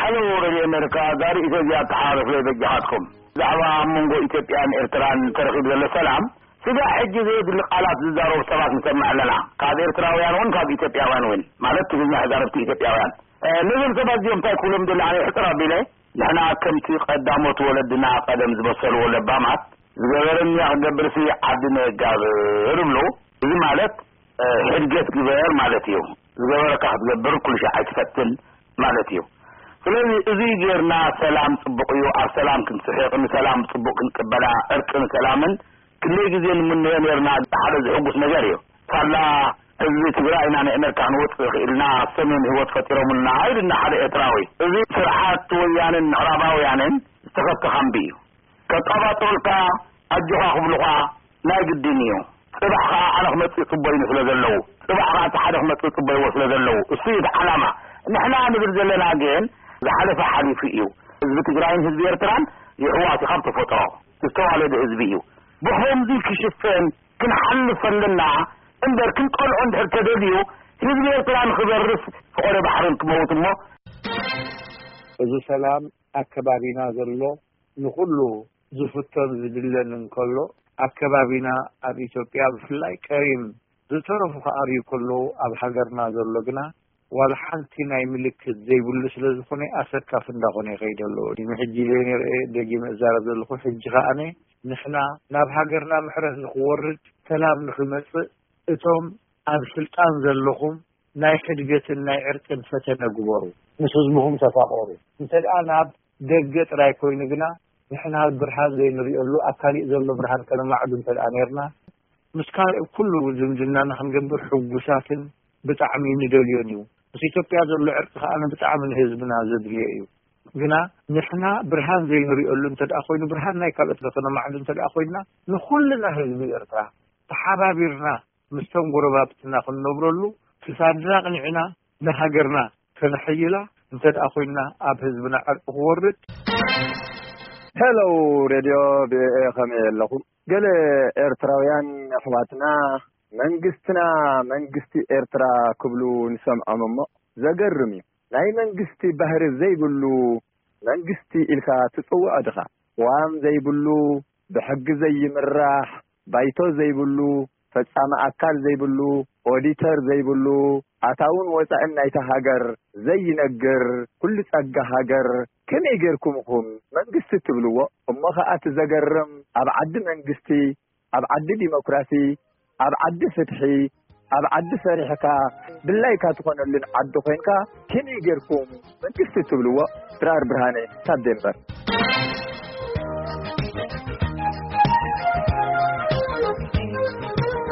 Hello Radio America፣ ጋሪ ኢትዮጵያ ኣተሓላልፍ ለይ በጃኻትኩም። ብዛዕባ ኣብ መንጎ ኢትዮጵያን ኤርትራን ተረኺቡ ዘሎ ሰላም፣ ስጋዕ ሕጂ ዘየድሊ ቃላት ዝዛረቡ ሰባት ንሰምዕ ኣለና። ካብ ኤርትራውያን እውን ካብ ኢትዮጵያውያን እውን፣ ማለት ትግርኛ ተዛረብቲ ኢትዮጵያውያን። እ፣ ነዞም ሰባት እዚኦም እንታይ ክብሎም ደሊ ኣነ ሕጽር ኣቢለ፣ ንሕና ከምቲ ቀዳሞት ወለድና ቀደም ዝበሰልዎ ለባማት፣ ዝገበረኒ ክገብርሲ ዓዲ ነጋብር እብሉ። እዚ ማለት፣ እ፣ ሕድገት ግበር ማለት እዩ። ዝገበረካ ክትገብር ኩሉ ሻዕ ኣይትፈትን ማለት እዩ። ስለዚ እዚ ጌርና ሰላም ጽቡቕ እዩ። ኣብ ሰላም ክንስሕቕ፣ ንሰላም ጽቡቕ ክንቅበላ፣ ዕርቅን ሰላምን ክንደይ ግዜ ንምነዮ ኔርና። ሓደ ዝሕጉስ ነገር እዩ። ሳላ ህዝቢ ትግራይ ኢና ንኣሜሪካ ክንወጽእ ክኢልና፣ ሰሜን ህይወት ፈጢሮምልና ኢሉና ሓደ ኤርትራዊ። እዚ ስርዓት ወያንን ምዕራባውያንን ዝተኸፍተ ካምቢ እዩ። ከቃባጥሩልካ ኣጆኻ ክብሉኻ ናይ ግድን እዩ። ጽባሕ ኸዓ ኣነ ክመጽእ ጽበዩኒ ስለ ዘለዉ፣ ጽባሕ ኸዓ እቲ ሓደ ክመጽእ ጽበይዎ ስለ ዘለዉ፣ እሱ እዩ እቲ ዓላማ። ንሕና ንብል ዘለና ግን ዝሓለፈ ሓሊፉ እዩ። ህዝቢ ትግራይን ህዝቢ ኤርትራን ይሕዋት እዩ ካብ ተፈጥሮ። ዝተዋለደ ህዝቢ እዩ። ብኸምዚ ክሽፈን ክንሓልፍ ኣለና እምበር፣ ክንቀልዖ እንድሕር ተደልዩ ህዝቢ ኤርትራ ንኽበርስ ፈቐዶ ባሕርን ክመውት እሞ። እዚ ሰላም ኣከባቢና ዘሎ ንኹሉ ዝፍቶን ዝድለን እንከሎ፣ ኣከባቢና ኣብ ኢትዮጵያ ብፍላይ ቀሪም ዝተረፉ ክኣርዩ ከለዉ፣ ኣብ ሃገርና ዘሎ ግና ዋላ ሓንቲ ናይ ምልክት ዘይብሉ ስለ ዝኾነ ኣሰካፊ እንዳኾነ ይኸይድ ኣሎ። ንሕጂ ዘይንርኤ ደጊመ እዛረብ ዘለኹ፣ ሕጂ ከኣነ ንሕና ናብ ሃገርና ምሕረት ንኽወርድ፣ ሰላም ንኽመጽእ፣ እቶም ኣብ ስልጣን ዘለኹም ናይ ሕድገትን ናይ ዕርቅን ፈተነ ግበሩ። ምስ ህዝብኹም ተፋቐሩ። እንተ ደኣ ናብ ደገ ጥራይ ኮይኑ ግና፣ ንሕና ብርሃን ዘይንርእየሉ፣ ኣብ ካሊእ ዘሎ ብርሃን ከነማዕዱ እንተ ደኣ ኔርና፣ ምስ ካልእ ኩሉ ዝምድናና ክንገብር ሕጉሳትን ብጣዕሚ ንደልዮን እዩ። ምስ ኢትዮጵያ ዘሎ ዕርቂ ከኣ ብጣዕሚ ንህዝብና ዘድልዮ እዩ። ግና ንሕና ብርሃን ዘይንርእየሉ እንተ ደኣ ኮይኑ፣ ብርሃን ናይ ካልኦት ከነማዕዱ እንተ ደኣ ኮይንና፣ ንኹልና ህዝቢ ኤርትራ ተሓባቢርና ምስቶም ጎረባብትና ክንነብረሉ፣ ክሳድና ቅኒዕና ንሃገርና ከነሐይላ እንተ ደኣ ኮይንና፣ ኣብ ህዝብና ዕርቂ ክወርድ። ሄሎ ሬድዮ ቪኦኤ፣ ከመይ ኣለኹም? ገለ ኤርትራውያን ኣሕዋትና፣ መንግስትና መንግስቲ ኤርትራ ክብሉ ንሰምዖም እሞ፣ ዘገርም እዩ። ናይ መንግስቲ ባህሪ ዘይብሉ መንግስቲ ኢልካ ትጽውዖ ድኻ? ቅዋም ዘይብሉ፣ ብሕጊ ዘይምራሕ፣ ባይቶ ዘይብሉ፣ ፈጻሚ ኣካል ዘይብሉ፣ ኦዲተር ዘይብሉ፣ ኣታውን ወጻእን ናይታ ሃገር ዘይነግር፣ ኩሉ ጸጋ ሃገር ከመይ ጌርኩም ኢኹም መንግስቲ ትብልዎ? እሞ ኸኣ እቲ ዘገርም፣ ኣብ ዓዲ መንግስቲ፣ ኣብ ዓዲ ዲሞክራሲ፣ ኣብ ዓዲ ፍትሒ፣ ኣብ ዓዲ ፈሪሕካ ድላይካ ትኾነሉን ዓዲ ኮይንካ ከመይ ጌርኩም መንግስቲ ትብልዎ? ድራር ብርሃነ ካብ ዴንቨር።